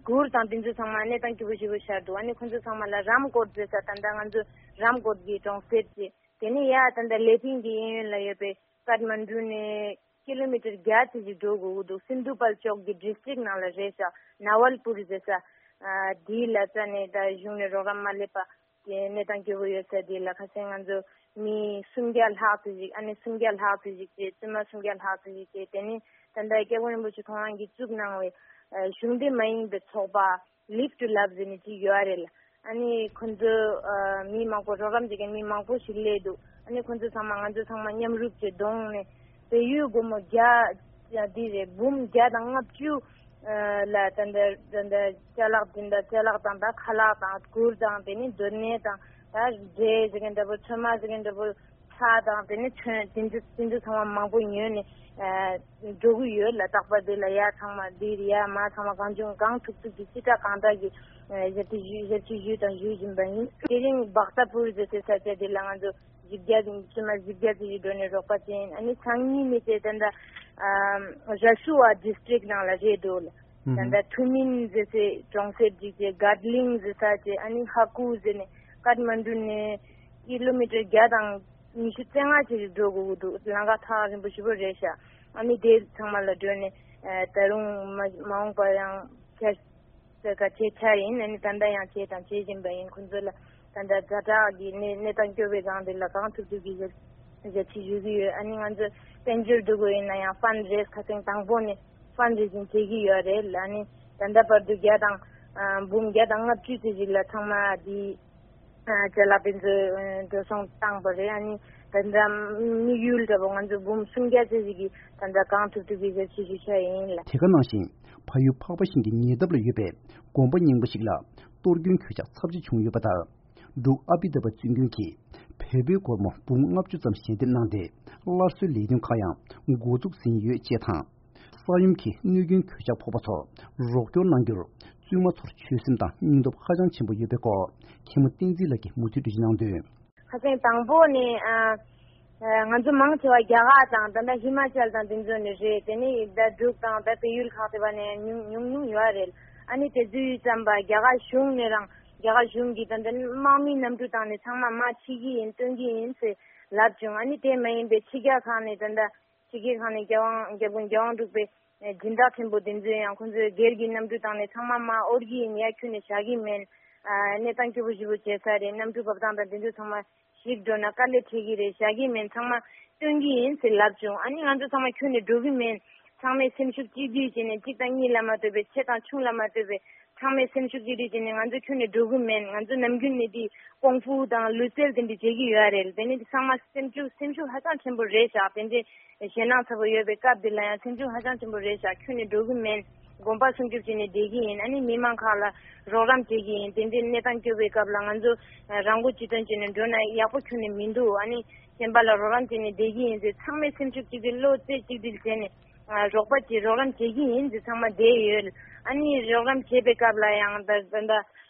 གུར་དང་དེ་ཚོ་ཚང་མ་གནས་སྟངས་སྐྱོ་པོ་ཞེ་པོ་ཆགས་འདུག་ཨ་ནི་ཁོ་ཚོ་ཚང་མ་ལ་རམ་ཀོཊ་ཟེར་ས་ད་ལྟ་ང་ཚོ་རམ་ཀོཊ་གི་གྲོང་གསེབ་ཅིག་དེ་ནས་ཡ་ད་ལྟ་ལེ་ཕིང་གི་གཡས་གཡོན་ལ་ཡོད་པའི་ཀཏ་མན་ཌུ་ནས་ཀི་ལོ་མི་ཊར་བརྒྱ་ཙམ་ཞིག་འགྲོ་དགོས་ཀྱི་འདུག་སིན་དྷུ་པལ་ཅོག་གི་ཌི་སི་ཊྲིག་ནང་ལ་རེད་ཤག་ནཱ་ཝལ་པུར་ཟེར་ས་དེའི་ལ་ཙ་ནས་ད་གཞུང་ནས་རོགས་རམ་མ་སླེབས་པ། དེ་གནས་སྟངས་སྐྱོ་པོ་ཡོད་ས་དེ་ལ་ཁ་སང་ང་ཚོ་མི་སུམ་བརྒྱ་ལྷག་ཙམ་ཞིག་ཨ་ནི་སུམ་བརྒྱ་ལྷག་ཙམ་ཞིག་བྱས། བཙུན་མ་སུམ་བརྒྱ་ལྷག་ཙམ་ཞིག་བྱས། དེ་ནི་ད་ལྟ་སྐྱབས་མགོན་རིན་པོ་ཆེ་ཁོང་རང་གིས་བཙུགས་གནང་བའི་ཨ་གཞུང་འབྲེལ་མ་ཡིན་པའི་ཚོགས་པ་Live to Love ཟེར་ནས་ཅིག་ཡོད་རེད་ལ། ཨ་ནི་ཁོ་ཚོ་ཨ་མི་མང་པོ་རོགས་རམ་བྱེད་མཁན་མི་མང་པོ་ཞིག་སླེབས་འདུག་ཨ་ནི་ཁོ་ཚོ་ཚང་མ་ང་ཚོ་ཚང་མ་མཉམ་རུབ་བྱས་གདོང་ནས་བལ་ཡུལ་སྒོར་མོ་བརྒྱ་ཡ་འདི་རེད། འབུམ་བརྒྱ་དང་ལྔ་བཅུ་ལ་ད་ལྟ་ད་ལྟ་ཅ་ལག་འདི་འདྲ་ཅ་ལག་དང་ད་ཁ་ལག་དང་གུར་དང་དེ་ནི་སྡོད་གནས་དང་ད་འབྲས་ཟེར་མཁན་འདྲ་པོ་ཚོད་མ་ཟེར་མཁན་འདྲ་པོ་ཚྭ་དང་དེ་ནི་ཚོན་དེ་ཚོ་དེ་ཚོ་ཚང་མ་མང་པོ་ཉོས་ནས་འགྲོ་གི་ཡོད་ལ། རྟག་པར་འདི་ལ་ཡ་ཚང་མ་འདི་ཡ་མ་ཚང་མ་གང་བྱུང་གང་ཐུབ་ཐུབ་ཀྱི་ཅི་དྲག་གང་དྲག་གི་ཞབས་ཕྱི་ཞུས་ཞབས་ཕྱི་ཞུས་དང་ཞུ་བཞིན་པ་ཡིན། དེ་རིང་བག་ཚ་པུར་ཟེར་སའི་ས་ཆ་འདི་ལ་ང་ཚོ་བཞི་བརྒྱ་བཙུན་མ་བཞི་བརྒྱ་ཙམ་ཞིག་འགྲོ་ནས་རོགས་པ་བྱས་ཡིན། ཨ་ནི་སང་ཉིན་ནས་བྱས་ད་ལྟ་ར་ཤུ་ཝ་ཌི་སི་ཊྲིག་ནང་ལ་རེད་འདུག་ལ། ད་ལྟ་ཐུ་མིན་ཟེར་སའི་གྲོང་གསེབ་ཅིག་བྱས། གར་ལིང་ཟེར་ས་བྱས། ཨ་ནི་ཧ་ཀུ་ཟེར་ནས་ཀཏ་མན་ཌུ་ནས་ཀི་ལོ་མི་ཊར་བརྒྱ་དང་ཉི་ཤུ་རྩ་ལྔ་ཅིག་འགྲོ་དགོས་ཀྱི་འདུག་ལམ་ཁ་ཐག་རིང་པོ་ཞེ་པོ་རེད་ཤག་ཨ་ནི་དེ་ཚང་མ་ལ་འགྲོ་ནས་ད་རུང་མ་མ་འོངས་པ་ཡང་ཁྱེད་ཟེར་ག་བྱེད་འཆར་ཡིན། ཨ་ནི་ད་ལྟ་ཡང་བྱེད་དང་བྱེད་བཞིན་པ་ཡིན། ཁོང་ཚོ་ལ་ད་ལྟ་ཛ་དྲག་གི་གནས་གནས་སྟངས་སྐྱོ་བའི་སྒང་དེ་ལ་གང་ཐུབ་ཐུབ་ཀྱི་ཞབས་ཞབས་ཕྱི་ཞུ་གི་ཡོད། ཨ་ནི་ང་ཚོ་དཔལ་འབྱོར་སྡུག་པོ་ཡིན་ན་ཡང་ཕན་རེས་ཁ་སང་དང་པོ་ནས་ཕན་རེ་ཛིང་བྱེད་ཀྱི་ཡོད་རེད་ལ། ཨ་ནི་ད་ལྟ་བར་དུ་བརྒྱ་དང་འབུམ་བརྒྱ་དང་ལྔ་བཅུ་ཙམ་ཞིག་ལ་ཚང་མ་འདི་ཅ་ལག་དེ་ཚོ་འགྲོ་སོང་བཏང་པ་རེད། ཨ་ནི་ད་ལྟ་དམིགས་ཡུལ་འདྲ་པོ་ང་ཚོ་འབུམ་སུམ་བརྒྱ་ཙམ་ཞིག་གི་ད་ལྟ་གང་ཐུབ་ཐུབ་ཀྱི་ཞབས་ཕྱི་ཞུ་འཆར་ཡིན་ལ། དེ་ག་ནང་བཞིན་ཕ་ཡུལ་འཕགས་པ་ཤིང་གི་ཉེ་འདབས་ལ་ཡོད་པའི་དགོན་པ་རྙིང་པ་ཞིག་ལ་གཏོར་སྐྱོན་གོད་ཆག་ཚབས་ཆེ་བྱུང་ཡོད་པ་དང་། འབྲུག་ཨ་པི་ཏ་པ་བཙུན་དགོན་གྱིས་བལ་པོའི་སྒོར་མོ་འབུམ་ལྔ་བཅུ་ཙམ་ཞལ་འདེབས་གནང་སྟེ། སླར་གསོའི་ལས་དོན་ཁག་ཡང་འགོ་འཛུགས་ཟིན་ཡོད་ཅེས་དང་། ས་ཡོམ་གྱི་གནོད་སྐྱོན་གོད་ཆག་ཕོག་པ་ཚོར་རོགས་སྐྱོར་གནང་རྒྱུར་བཙུན་མ་ཚོར་ཆོད་སེམས་དང་སྙིང་སྟོབས་ཧ་ཅང་ཆེན་པོ་ཡོད་པའི་སྐོར་མཁན་མོ་བསྟན་འཛིན་ལགས་ཀྱིས་མུ་མཐུད་དུ་གནང་དོན། ཁ་སང་དང་པོ་ནས་ཨ་ཨ་ང་ཚོ་མང་ཆེ་བ་རྒྱ་གར་དང་ད་ལྟ་ཧི་མ་ཅལ་དང་དེ་ཚོ་ནས་རེད། དེ་ནས་ད་འབྲུག་དང་ད་བལ་ཡུལ་ཁག་དེ་བ་ནས་ཉུང་ཉུང་ཉུང་ཡོད་རེད། ཨ་ནི་དེ་ཚོའི་ཙམ་པ་རྒྱ་གར་གཞུང་ནས་རང་རྒྱ་གར་གཞུང་གིས་ད་ལྟ་དམག་མིའི་གནམ་གྲུ་བཏང་ནས་ཚང་མ་མར་ཁྲིད་ཀྱི་ཡིན་སྟོན་གྱི་ཡིན་ཟེར་ལབ་བྱུང་། ཨ་ནི་དེ་མ་ཡིན་པའི་ཕྱི་རྒྱལ་ཁག་ནས་ད་ལྟ་ཕྱི་རྒྱལ་ཁག་ནས་རྒྱལ་དབང་རྒྱལ་པོ་རྒྱལ་དབང་འབྲུག་པའི་སྦྱིན་བདག་ཕྲན་བུ་དེ་ཚོས་ཡང་ཁོང་ཚོས་སྒེར་གྱི་གནམ་གྲུ་བཏང་ནས་ཚང་མ་མར་དབོར་གྱི་ཡིན། ཡར་ཁྱོན་ནས་བཞག་གི་མིན། ཨ་གནས་སྟངས་སྐྱོ་པོ་ཞེ་པོ་བྱས་ས་རེད། གནམ་གྲུ་བབས་སྟངས་དང་དེ་ཚོ་ཚང་མ་ཞིག་འགྲོ་ན་དཀའ་ལས་འཕྲད་ཀྱི་རེད། བཞག་གི་མིན། ཚང་མ་ སྟོན་གྱི་ཡིན་ཟེར་ལབ་བྱུང་། ཨ་ནི་ང་ཚོ་ཚང་མ་ཁྱོན་ནས་འགྲོ་གི་མིན། ཚང་མས་སེམས་ཤུགས་གཅིག་སྒྲིལ་བྱས་ནས། གཅིག་དང་གཉིས་ལ་མ་ལྟོས་པའི་ཆེ་དང་ཆུང་ལ་མ་ལྟོས་པའི་ཚང་མས་སེམས་ཤུགས་གཅིག་སྒྲིལ་བྱས་ནས། ང་ཚོ་ཁྱོན་ནས་འགྲོ་གི་མིན། ང་ཚོ་ནམ་རྒྱུན་ནས་དེ་ཀོང་ཧྥུ་དང་ལུས་རྩལ་དེ་འདྲ་བྱེད་ཀྱི་ཡོད་རེད། དེ་ནས་ཚང་མ་སེམས་ཤུགས་སེམས་ཤུགས་ཧ་ཅང་ཆེན་པོ་རེད་ཤག་དེ་འདྲའི་ཞེད་སྣང་ཚ་པོ་ཡོད་པའི་སྐབས་འདི་ལ་ཡང་སེམས་ཤུགས་ཧ་ཅང་ཆེན་པོ་རེད་ཤག་ཁྱོན་ནས་འགྲོ་གི་མིན། དགོངས་པ་སྲུང་སྐྱོབ་བྱས་ནས་བསྡད་ཀྱི་ཡིན། ཨ་ནི་མི་མང་ཁག་ལ་རོགས་རམ་བྱེད་ཀྱི་ཡིན། དེ་འདྲའི་གནས་སྟངས་སྐྱོ་བའི་སྐབས་ལ་ང་ཚོ་རང་མགོ་ཅི་ཐོན་བྱས་ནས་འགྲོ་ན་ཡག་པོ་ཁྱོན་ནས་མི་འདུག་ཨ་ནི་གཞན་པ་ལ་རོགས་རམ་བྱས་ནས་བསྡད་ཀྱི་ཡིན་ཟེར། ཚང་མས་སེམས་ཤུགས་གཅིག་སྒྲིལ་བློ་རྩེ་གཅིག་སྒྲིལ་བྱས་ནས་རོགས་པ་བྱེད། རོགས་རམ་བྱེད་ཀྱི་ཡིན་ཟེར་ཚང་མ་བསྡད་ཡོད། ཨ་ནི་རོགས་རམ་བྱེད་པའི་སྐབས་ལ་ཡང་ད་ད་ད་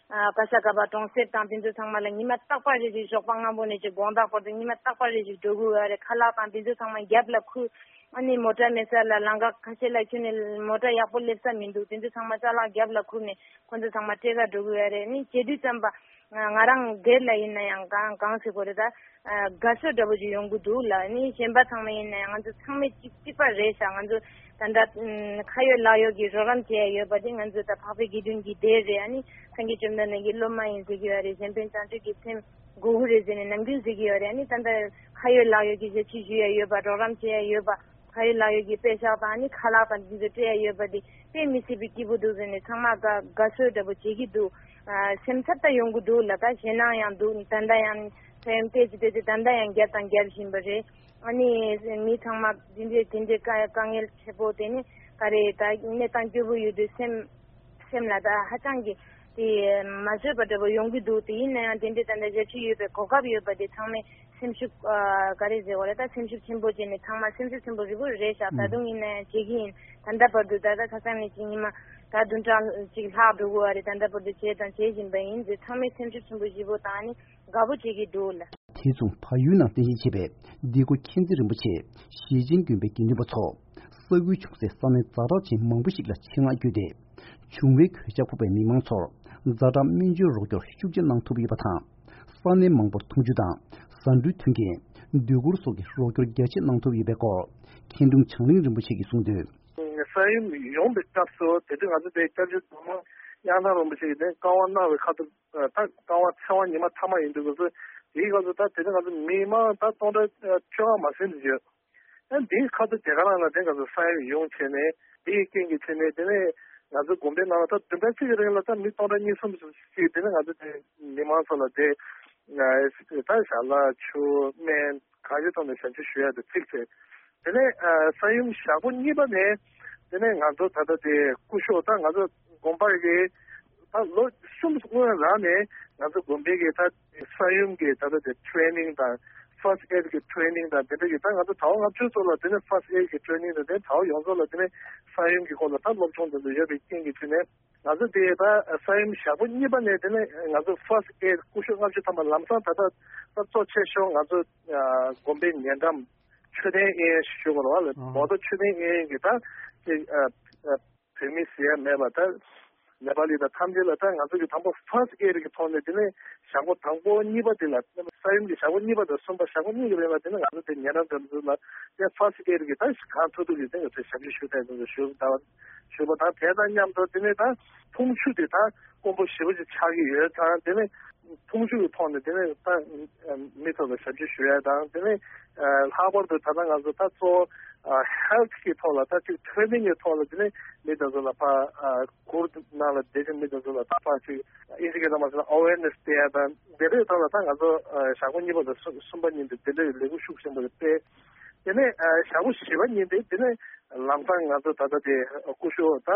ག་ས་ག་པ་གྲོང་གསེབ་དང་དེ་ཚོ་ཚང་མ་ལ་ཉི་མ་རྟག་པར་རེ་ཞིག་ཞོགས་པ་སྔ་པོ་ནས་ཅིག་དགོང་དག་བར་དུ་ཉི་མ་རྟག་པར་རེ་ཞིག་འགྲོ་དགོས་ཡོད་རེད། ཁ་ལག་དང་དེ་ཚོ་ཚང་མ་རྒྱབ་ལ་ཁུར། ཨ་ནི་མོ་ཊ་མེད་ས་ལ་ལམ་ཁ་ཁ་ཤས་ལ་ཁྱོན་ནས་མོ་ཊ་ཡག་པོ་སླེབས་ས་མི་འདུག་དེ་ཚོ་ཚང་མ་ཅ་ལག་རྒྱབ་ལ་ཁུར་ནས་ཁོ་ཚོ་ཚང་མ་སྤྲད་ག་འགྲོ་གི་ཡོད་རེད། ཨ་ནི་བྱེད་དུས་ཙམ་པ་ང་རང་སྒེར་ལ་ཡིན་ན་ཡང་གང་གང་ཟེར་དགོས་རེད། ད་དགའ་ཚོར་འདྲ་པོ་ཅིག་ཡོང་གི་འདུག་ལ། ཨ་ནི་གཞན་པ་ཚང་མ་ཡིན་ན་ཡང་ང་ཚོ་ཚང་མས་གཅིག་གཅིག་པ་རེད་ཤག་ང་ཚོ་ད་ལྟ་ཁ་ཡོད་ལག་ཡོད་ཀྱི་རོགས་རམ་བྱེད་ཡ་ཡོད་པ་དེ་ང་ཚོ་ད་འཕགས་པའི་དགེ་འདུན་གྱི་སྡེ་རེད། ཨ་ནི་སངས་རྒྱས་བཅོམ་ལྡན་འདས་ཀྱི་སློབ་མ་ཡིན་ཟེར་གྱི་ཡོད་རེད། གཞན་ཕན་བྱང་ཆུབ་ཀྱི་སེམས་དགོས་ཀྱི་རེད་ཟེར་ནས་ནམ་རྒྱུན་ཟེར་གྱི་ཡོད་རེད། ཨ་ནི་ད་ལྟ་ཁ་ཡོད་ལག་ཡོད་ཀྱི་ཞབས་ཕྱི་ཞུ་ཡ་ཡོད་པ། རོགས་རམ་བྱེད་ཡ་ཡོད་པ། ཁ་ཡོད་ལག་ཡོད་ཀྱི་པད་ཤག་དང་ཨ་ནི་ཁ་ལག་དང་དེ་ཚོ་སྤྲད་ཡ་ཡོད་པ་དེ་དཔེ་མི་སྲིད་པའི་སྐྱིད་པོ་འདུག་ཟེར་ནས་ཚང་མ་དགའ་དགའ་ཚོར་འདྲ་པོ་བྱེད་ཀྱི་འདུག་ཨ་སེམས་འཚབ་ད་ཡོང་གི་འདུག་ལ། ད་ཞེད་སྣང་ཡང་འདུག་ད་ལྟ་ཡང་ས་ཡོམ་བལྟས་ཀྱི་བལྟས་ཀྱི་ད་ལྟ་ཡང་བརྒྱབ་དང་རྒྱབ་བཞིན་པ་རེད། ཨ་ནི་མི་ཚང་མ་འདི་འདྲའི་དེ་འདྲའི་དཀའ་དཀའ་ངལ་ཆེ་པོ་དེ་ནི་ག་རེ་ད་གནས་སྟངས་སྐྱོ་པོ་ཡོད་དུས་སེམས་སེམས་ལ་ད་ཧ་ཅང་གི་དེ་མ་བཟོད་པ་འདྲ་པོ་ཡོང་གི་འདུག་དེ་ཡིན་ན་ཡང་དེ་འདྲའི་ད་ལྟ་ཞབས་ཕྱི་ཡོད་པའི་གོ་སྐབས་ཡོད་པ་དེ་ཚང་མས་སེམས་ཤུགས་ཨ་ག་རེ་ཟེར་བ་རེད། ད་སེམས་ཤུགས་ཆེན་པོ་བྱས་ནས་ཚང་མ་སེམས་ཤུགས་ཆེན་པོ་རི་བོ་རེད་ཤག་ད་དུང་ཡིན་ན་ཡང་བྱེད་ཀྱི་ཡིན། ད་ལྟ་བར་དུ་ད་ལྟ་ཁ་སང་ནས་ཅིག་ཉི་མ་ད་བདུན་ཕྲག་ཅིག་ལྷག་འགྲོ་གི་ཡོད་རེད། ད་ལྟ་བར་དུ་བྱས་དང་བྱེད་བཞིན་པ་ཡིན་ཟེར། ཚང་མས་སེམས་ཤུགས་ཆེན་པོ་བཞི་པོ་དང་ནི་དགའ་པོ་བྱེད་ཀྱི་འདུག་ལ། དེ་མཚུངས་བལ་ཡུལ་ནང་རྟེན་གཞི་བྱས་པའི་འདི་གོ་མཁྱེན་བརྩེ་རིན་པོ་ཆེ་ཞེ་ཆེན་དགོན་པའི་དགེ་འདུན་པ་ཚོ་ས་ཁུལ་བྱུང་སའི་ས་གནས་ཛ་དྲག་ཅན་མང་པོ་ཞིག་ལ་ཆེད་མངགས་བསྐྱོད་དེ། བྱུང་བའི་གོད་ཆག་ཕོག་པའི་མི་མང་ཚོར་ཛ་དྲག་སྨན་བཅོས་རོགས་སྐྱོར་ཤུགས་ཆེ་གནང་ཐུབ་ཡོད་པ་དང་། ས་གནས་མང་པོར་འཐུང་ཆུ་དང་ཟ་འབྲུའི་མཐུན་རྐྱེན། སྡོད་གུར་སོགས་ཀྱི་རོགས་སྐྱོར་རྒྱ་ཆེ་གནང་ཐུབ་ཡོད་པའི་སྐོར་མཁན་དྲུང་བྱང་གླིང་རིན་པོ་ཆེ་གིས་གསུངས་དོན། ས་ཡོམ་ཡོང་པའི་སྐབས་སུ་དེ་དུས་ང་ཚོ་དེ་སྐྱབས་རྗེ་ཟམ་གདོང་དབྱངས་ཐང་རིན་པོ་ཆེ་གིས་དེ་བཀའ་དབང་གནང་བའི་ཁ་ཐུག་ད་བཀའ་དབང་ཚེ་དབང་ཉི་མ་མཐའ་མ་ཡིན་དུས་སྐབས་སུ་དེའི་སྐབས་སུ་ད་དེ་དུས་ང་ཚོ་མི་མང་ད་སྟོང་ཕྲག་ཆོལ་ཁ་མ་ཟིན་དུ་ཡོད། ཨ་འདིའི་ཁ་ཐུག་དེ་ག་རང་ལ་དེ་ང་ཚོ་ས་ཡོམ་ཡོང་བྱས་ནས་དེའི་རྐྱེན་གྱིས་བྱས་ནས་དེ་ནས་ང་ཚོ་དགོན་པའི་ནང་ལ་ད་བདུན་ཕྲག་གཅིག་གི་རིང་ལ་ད་མི་སྟོང་ཕྲག་གཉིས་གསུམ་ཞིག་དེ་ནས་ང་ཚོ་དེ་མི་མང་ཚོ་ལ་དེ་ད་ཞལ་ལག་ཆུ་སྨན་གང་ཅིའི་ཐོག་ནས་ཞབས་ཕྱི་ཞུ་ཡ་དེ་ཚིག་བྱས། དེ་ནས་ཨ་ས་ཡོམ་ཞག་པོ་གཉིས་པ་ནས་དེ་ནས་ང་ཚོ་ད་ལྟ་དེ་སྐུ་ཞབས་ད་ང་ཚོ་དགོན་པ་གི་ད་ལོ་གསུམ་སྔོན་རང་ནས་ང་ཚོ་དགོན་པའི་གི་ད་ས་ཡོམ་གི་ད་ལྟ་དེ་ཊེ་རེ་ནིང་དང་ཕར་སི་ཊི་ཨེ་ཌི་གི་ཊེ་རེ་ནིང་དང་དེ་འདྲ་གི་ད་ང་ཚོ་ཟླ་བ་ལྔ་བཅུ་ཙམ་ལ་དེ་ནས་ཕར་སི་ཊི་ཨེ་ཌི་གི་ཊེ་རེ་ནིང་དང་དེ་ནས་ཟླ་བ་ཡོངས་རྫོགས་ལ་དེ་ནས་ས་ཡོམ་གི་སྐོར་ལ་ད་སློབ་སྦྱོང་དེ་ཚོ་ཡོད་པའི་རྐྱེན་གྱིས་བྱས་ནས། ང་ཚོ་དེ་ད་ས་ཡོམ་ཞག་པོ་གཉིས་པ་ནས་དེ་ནས་ང་ཚོ་ཕར་སི་ཊི་ཨེ་ཌི་སྐུ་ཞབས་ལྔ་བཅུ་ཐམ་པ་ལམ་སང་ད་ལྟ་ད་གཙོ་ཆེ་ཤོས་ང་ཚོ་ཨ་དགོན་པའི་ཉེ་འགྲམ་མཆོད་རྟེན་གཡས་གཡོན་ཞུ་དགོས་རེད་བ་ལ། ཨ་མོ་ཏོ་མཆོད་རྟེན་གཡས་གཡོན་གྱི་ད་ཅིག་ཨ་ཨ་བོད་མི་ཟེར་ཡ་མེད་པ་ད་ནེ་པ་ལི་དང་ཐམས་ཅད་ལ་ད་ང་ཚོ་གི་དང་པོ་ཕར་སི་ཊི་ཨེ་ཌི་གི་ཐོག་ནས་དེ་ནས་ཞག་པོ་དང་པོ་གཉིས་པ་དེ་ལ་ས་ཡོམ་གྱི་ཞག་པོ་གཉིས་པ་དང་གསུམ་པ་ཞག་པོ་གཉིས་ཀྱི་རིང་ལ་དེ་ནས་ང་ཚོ་དེ་ཉེ་འགྲམ་འགྲམ་ཚོ་ལ་དེ་ཕར་སི་ཊི་ཨེ་ཌི་གི་ད་གང་ཐུབ་ཐུབ་ཀྱི་དེ་ང་ཚོས་ཞབས་ཕྱི་ཞུ་ཐུབ་ཡ་དེ་ཚོ་ཞུ་ད། ཞུས་པ་དང་། དེ་དང་མཉམ་དུ་དེ་ནས་ད་འཐུང་ཆུ་དེ་ད་དཀོན་པོ་ཞེ་པོ་ཅིག་ཆགས་ཀྱི་ཡོད་ཙང་། དེ་ནས་འཐུང་ཆུ་གི་ཐོག་ནས་དེ་ནས་ད་མི་ཚོ་ལ་ཞབས་ཕྱི་ཞུ་ཡ་དང་། དེ་ནས་ལྷག་པར་དུ་ད་ལྟ་ང་ཚོ་ད་གཙོ་བོ་ཧེལ་ཐི་གི་ཐོག་ལ་ད་ཅིག་ཐོན་མིའི་ཐོག་ལ་དེ་ནས་མི་དེ་ཚོ་ལ་ཕར་གུར་ནང་ལ་བསྡད་ཀྱི་མི་དེ་ཚོ་ལ་ད་ཕར་ཅིག་ཨིན་ཇི་སྐད་ཐོག་མ་ཟེར་ན་ཨ་ཝེར་ནེ་སི་སྤྲད་ཡ་དང་། དེ་འདྲའི་ཐོག་ལ་ད་ང་ཚོ་ཞག་པོ་གཉིས་པ་དང་གསུམ་པ་གཉིས་དེ་དེ་འདྲའི་ལས་འགུལ་ཤུགས་ཆེན་པོ་ཞིག་སྤེལ། དེ་ནས་ཞག་པོ་བཞི་པ་ཉིན་དེ་དེ་ནས་ལམ་སང་ང་ཚོ་ད་ལྟ་དེ་སྐུ་ཞབས་ད་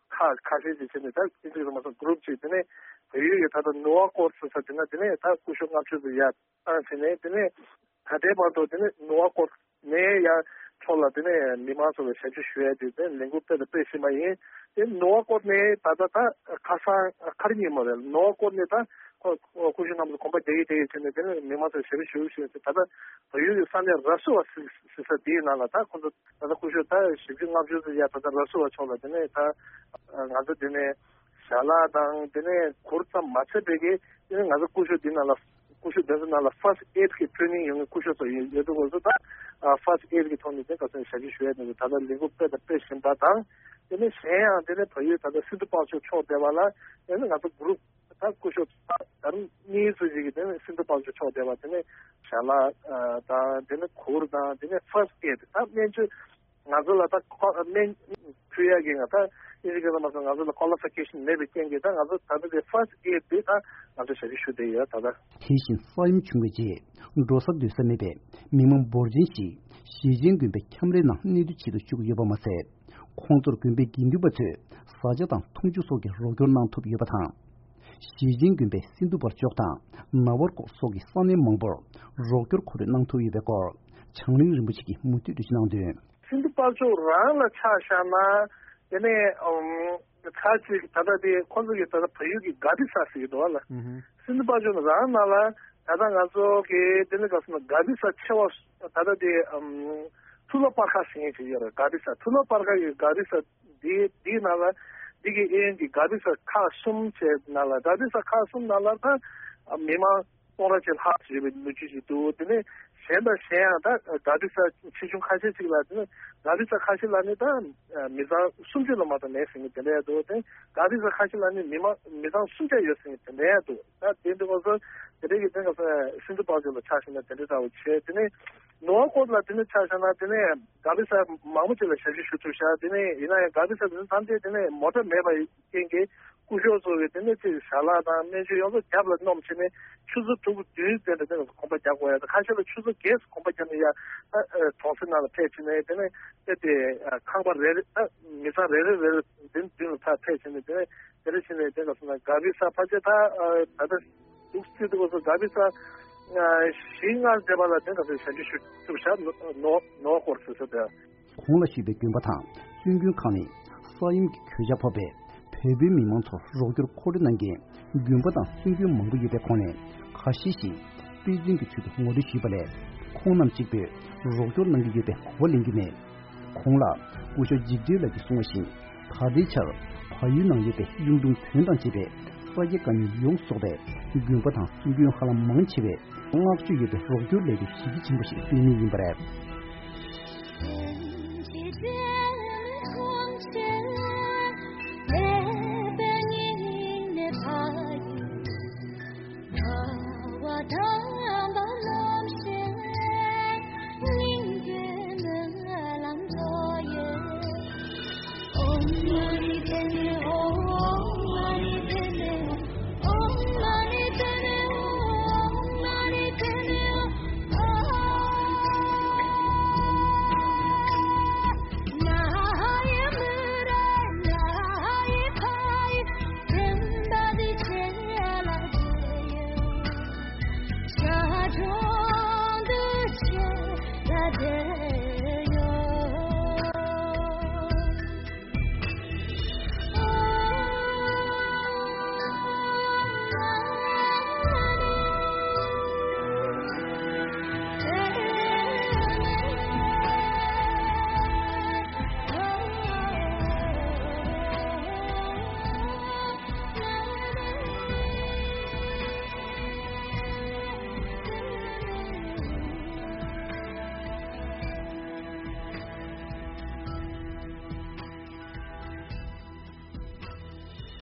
ཁག་ཁ་ཤས་ཅིག་བྱས་ནས་ད་ཨིན་ཇི་སྐད་ཐོག་མ་ཟེར་ན་གུ་རུབ་ཅིག་དེ་ནས་བལ་ཡུལ་གྱི་ད་ལྟ་ནུ་བ་ཀོར་ཟེར་ས་དེ་ན་དེ་ནས་ད་སྐུ་ཞབས་ལྔ་བཅུ་ཙམ་ཡར་བཏང་བྱས་ནས། དེ་ནས་ད་ལྟའི་བར་དུ་དེ་ནས་ནུ་བ་ཀོར་ནས་ཡར་ཕྱོགས་ལ་དེ་ནས་མི་མང་ཚོ་ལ་ཞབས་ཕྱི་ཞུ་ཡ་དེ་དེ་ལས་འགུལ་སྤེལ་དང་སྤེལ་བཞིན་པ་ཡིན། དེ་ནུ་བ་ཀོར་ནས་ད་ལྟ་ད་ཁ་སང་ག་རེ་ཉིན་མོ་རེད། ནུ་བ་ཀོར་ནས་ད་ཁོ་སྐུ་ཞབས་རྣམ་པ་ཚོ་དགོན་པ་རྒྱག་གི་རྒྱག་གི་བྱས་ནས་དེ་ནས་མི་མང་ཚོ་ཞབས་ཕྱི་ཞུ་བཞིན་ཟེར། ད་ལྟ་བལ་ཡུལ་གྱི་ས་གནས་ར་སུ་བ་ཟེར་ས་དེའི་ནང་ལ་ད་ཁོ་ཚོ་ད་ལྟ་སྐུ་ཞབས་ད་བཞི་བཅུ་ལྔ་བཅུ་ཙམ་ཡར་ད་ལྟ་ར་སུ་བ་ཕྱོགས་ལ་དེ་ནས་ད་ང་ཚོ་དེ་ནས་ཞལ་ལག་དང་དེ་ནས་གུར་ཙམ་མ་ཚད་པའི་གི་དེ་ནས་ང་ཚོ་སྐུ་ཞབས་དེ་ནང་ལ་སྐུ་ཞབས་དེ་ཚོ་ནང་ལ་ཕར་སི་ཊི་ཨེ་ཌི་གི་ཊེ་རེ་ནིང་ཡོད་མཁན་སྐུ་ཞབས་ཚོ་ཡོད་ཡོད་དུས་སྐབས་སུ་ད་ཕར་སི་ཊི་ཨེ་ཌི་གི་ཐོག་ནས་དེ་ག་ཚོད་ཞབས་ཕྱི་ཞུ་ཡ་དེ་ཚོ་ད་ལྟ་ལས་འགུལ་སྤེལ་དང་སྤེལ་བཞིན་པ་དང་། དེ་ནས་གཞན་ཡང་དེ་ནས་བལ་ཡུལ་ད་ལྟ་སིལ་ཏུ་པང་ཆུ་ཕྱོགས་བསྡད་པ་ལ་དེ་ནས་ང་ཚོ་གུ་རུབ་ ད་སྐུ་ཞབས་ད་རུང་གཉིས་ཙམ་ཞིག་གིས་དེ་ནས་སིན་དྷུ་དཔལ་འབྱོར་ཕྱོགས་བསྡད་པ། དེ་ནས་ཞལ་ལག་དང་དེ་ནས་གུར་དང་དེ་ནས་ཕར་སི་ཊི་ཨེ་ཌི། ད་སྨན་བཅོས་ང་ཚོ་ལ་ད་ཁོ་སྨན་ཕུལ་ཡག་གི་ང་ད་ཨིན་ཇི་སྐད་ལ་མ་སོང་ང་ཚོ་ལ་ཀོ་ལི་ཕི་ཀེ་ཤན་མེད་པའི་རྐྱེན་གྱིས། ད་ང་ཚོ་ད་ལྟ་དེ་ཕར་སི་ཊི་ཨེ་ཌི་དེ་ད་ང་ཚོ་ཞབས་ཞུ་ཞུ་བསྡད་ཡོད་ད་ལྟ། དེ་བཞིན་ས་ཡོམ་བྱུང་བའི་རྗེས་འགྲོ་ས་སྡོད་ས་མེད་པའི་མི་མང་འབོར་ཆེན་ཞིག་ཞེ་ཆེན་དགོན་པའི་ཁྱམས་རའི་ནང་གནས་སྡོད་བྱེད་དུ་བཅུག་ཡོད་པ་མ་ཟད། ཁོང་ཚོར་དགོན་པའི་དགེ་འདུན་པ་ཚོས་བཟའ་བཅའ་དང་འཐུང་ཆུ་སོགས་ཀྱི་རོགས་སྐྱོར་གནང་ཐུབ་ཡོད་པ་དང་། ཞེ་ཆེན་དགོན་པའི་སིན་དྷུ་དཔལ་འབྱོར་དང་ནཱ་བར་ཀོ་སོགས་ཀྱི་ས་གནས་མང་པོར་རོགས་སྐྱོར་ཁོར་ཡུག་གནང་ཐུབ་ཡོད་པའི་སྐོར་བྱང་གླིང་རིན་པོ་ཆེ་གིས་མུ་མཐུད་དུ་གནང་དོན། སིན་དྷུ་དཔལ་འབྱོར་རང་ལ་ཆ་བཞག་ན་དེ་ནས་ཨམ་ཁ་ཅིག་ད་ལྟ་དེ་ཁོང་ཚོ་གི་ད་ལྟ་བལ་ཡུལ་གྱི་ག་བི་ས་ཟེར་གྱི་འདུག་བ་ལ། ཨུ་ཧུ། སིན་དྷུ་དཔལ་འབྱོར་རང་ནང་ལ་ད་ལྟ་ང་ཚོ་གི་དེ་ནས་ག་སོང་ན་ག་བི་ས་ཆེ་བ་ད་ལྟ་དེ་ཨམ་ཐུ་ལ་པར་ཁ་ཟེར་མཁན་ཅིག་ཡོད་རེད། ག་བི་ས་ཐུ་ལ་པར་ཁ་གི་ག་བི་ས་འདི་འདིའི་ནང་ལ་འདི་གི་ཨེ་ཡན་གྱི་ག་བི་ས་ཁག་གསུམ་བྱས་ནང་ལ་ག་བི་ས་ཁག་གསུམ་ནང་ལ་ད་མི་མང་སྟོང་ཕྲག་གཅིག་ལྷག་ཅིག་ཡོད་པའི་ལོ་རྒྱུས་ཤིག་འདུག་དེ་ནས་གཞན་དང་གཞན་ཡང་ད་ག་བི་ས་ཆེ་ཆུང་ཁ་ཤས་ཅིག་ལ་དེ་ནས་ག་བི་ས་ཁ་ཤས་ལ་ནི་ད་མི་ཚང་སུམ་ཅུ་ལ་མ་གཏོགས་མེད་ཟེར་མཁན་དེ་འདྲ་ཡང་འདུག་དེ་ག་བི་ས་ཁ་ཤས་ལ་ནི་མི་མང་མི་ཚང་སུམ་བརྒྱ་ཡོད་ཟེར་མཁན་དེ་འདྲ་ཡང་འདུག་ད་དེ་འདྲ་ང་ཚོ་དེ་འདྲ་གི་དེ་ང་ཚོ་སིན་དྷུ་དཔལ་འབྱོར་ལ་ཆ་བཞག་ན་དེ་འདྲ་འདྲ་བོ་བྱས། དེ་ནས་ནོར་ཀོ་ལ་དེ་ནས་ཆ་བཞག་ན་དེ་ནས་ག་བི་ས་མང་པོ་ཅིག་ལ་ཞབས་ཞུ་ཞུ་ཐུབ་ཤག་དེ་ནས་ཡིན་ན་ཡང་ག་བི་ས་དེ་ནས་ཐམས་ཅད་དེ་ནས་མོ་ཊ་མེད་པ་རྐྱེན་གྱིས་སྐུ་ཞབས་ཚོ་གིས་དེ་ནས་ཅིག་ཞལ་ལག་དང་སྨན་བཅོས་ཡོངས་རྫོགས་རྒྱབ་ལ་བསྣམས་བྱས་ནས་ཆུ་ཚོད་དྲུག་བདུན་ཙམ་དེ་ནས་གོམ་པ་རྒྱག་དགོས་ཡ། ད་ཁ་ཤས་ལ་ཆུ་ཚོད་བརྒྱད་གོམ་པ་རྒྱབ་ནས་ཡ་ད་གྲོང་གསེབ་ནང་ལ་ཕེབས་བྱས་ནས་དེ་ནས་དེ་དེ་ཁང་པ་རེ་རེ་ད་མི་ཚང་རེ་རེ་རེ་རེ་མདུན་མདུན་ལ་ཕར་ཕེབས་བྱས་ནས་དེ་ནས་དེ་འདྲ་བྱས་ནས་དེ་ལ་སོང་ན་ག་བི་ས་ཕལ་ཆེར་ད་ད་ལྟ་འདུག་སེ་འདུག་སེ་ག་བི་ས་བཞི་ལྔ་འདས་པ་ལ་དེ་ལ་ཞབས་ཞུ་ཞུ་ཐུབ་ཤག་ནོ་ནོ་ནོ་སྐོར་ཟེར་ས་དེ། གོང་ལ་ཞུས་པའི་དགོན་པ་དང་བཙུན་དགོན་ཁག་ནི་ས་ཡོམ་གྱི་གོད་ཆག་ཕོག་པའི་བོད་པའི་མི་མང་ཚོར་རོགས་སྐྱོར་ཁོར་ཡུག་གནང་མཁན་དགོན་པ་དང་བཙུན་དགོན་མང་པོ་ཡོད་པའི་ཁོངས་ནས་ཁ་ཤས་ཤིག་པེ་ཅིན་གྱི་ཚུལ་དུ་ངོ་སྤྲོད་ཞུས་པ་ལས། ཁོང་རྣམས་གཅིག་པུས་རོགས་སྐྱོར་གནང་གི་ཡོད་པའི་གོ་བ་ལེན་རྒྱུ་མེད། གོང་ལ་སྐུ་ཞབས་འཇིགས་བྲལ་ལགས་ཀྱིས་གསུངས་པ་བཞིན། ད་ལྟའི་ཆར་བལ་ཡུལ་ནང་ཡོད་པའི་གཡུང་དྲུང་བོན་དང་བཅས་པའི་ས་སྐྱ་བཀའ་རྙིང་ཡོངས་རྫོགས་པའི་དགོན་པ་དང་བཙུན་དགོན་ཧ་ལམ་མང་ཆེ་བས་བསྔགས་བརྗོད་ཡོད་པའི་རོགས་སྐྱོར་ལས་དོན་གཞི་གལ་ཆེན་པོ་ཞིག་སྤེལ་ངེས་ཡིན་པ་རེད།